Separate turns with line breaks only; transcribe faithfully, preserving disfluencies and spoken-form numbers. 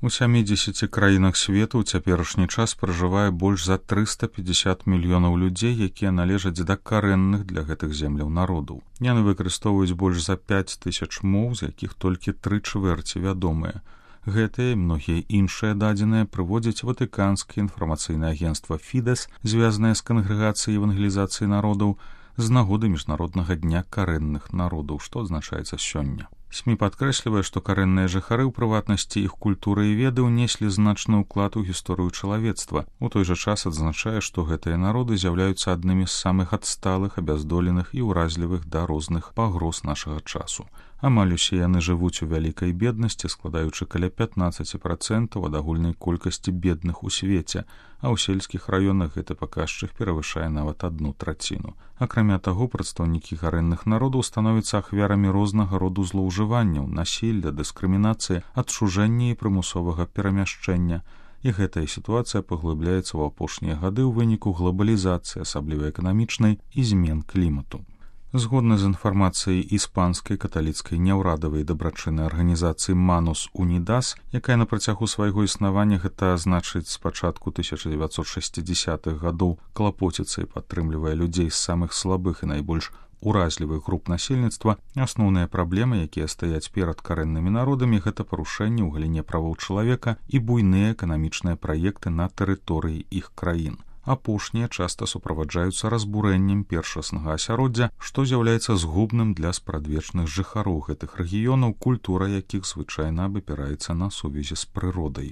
У сямідзесяці краінах свету ў цяперашні час пражывае больш за трыста пятьдесят мільёнаў людзей, якія належаць да карэнных для гэтых земляў народаў. Яны выкарыстоўваюць больш за пяць тысяч моў, з якіх толькі тры чвэрці вядомыя. Гэтыя і многія іншыя дадзеныя прыводзяць ватыканскае інфармацыйнае агенцтва Фідэс, звязанае з кангрэгацыяй евангелізацыі народаў, з нагоды міжнароднага дня карэнных народаў, што адзначаецца сёння. СМІ падкрэслівае, што карэнныя жыхары, у прыватнасці іх культуры і веды, унеслі значны ўклад у гісторыю чалавецтва. У той жа час адзначае, што гэтыя народы з'яўляюцца аднымі з самых адсталых, абяздоленых і ўразлівых да розных пагроз нашага часу. Амаль усе яны жывуць у вялікай беднасці, складаючы каля пятнаццаць працэнтаў ад агульнай колькасці бедных у свеце, а ў сельскіх раёнах гэты паказчык перавышае нават адну траціну. Акрамя таго, прадстаўнікі карэнных народаў становяцца ахвярамі рознага роду злоўжыванняў, насілля, дыскрымінацыі, адчужэння і прымусовага перамяшчэння. І гэтая сітуацыя паглыбляецца ў апошнія гады ў выніку глобалізацыі, асабліва эканамічнай, і змен клімату. Згодна з інфармацыяй іспанскай каталіцкай няўрадавай дабрачыннай арганізацыі Манус Унідас, якая на працягу свайго існавання, гэта значыць з пачатку тысяча дзевяцьсот шэсцідзесятых гадоў, клапоціцца і падтрымлівае людзей з самых слабых і найбольш уразлівых груп насельніцтва, асноўныя праблемы, якія стаяць перад карэннымі народамі, гэта парушэнні ў галіне правоў чалавека і буйныя эканамічныя праекты на тэрыторыі іх краін. Апошнія часта суправаджаюцца разбурэннем першаснага асяроддзя, што з'яўляецца згубным для спрадвечных жыхароў гэтых рэгіёнаў, культура якіх звычайна абапіраецца на сувязі з прыродай.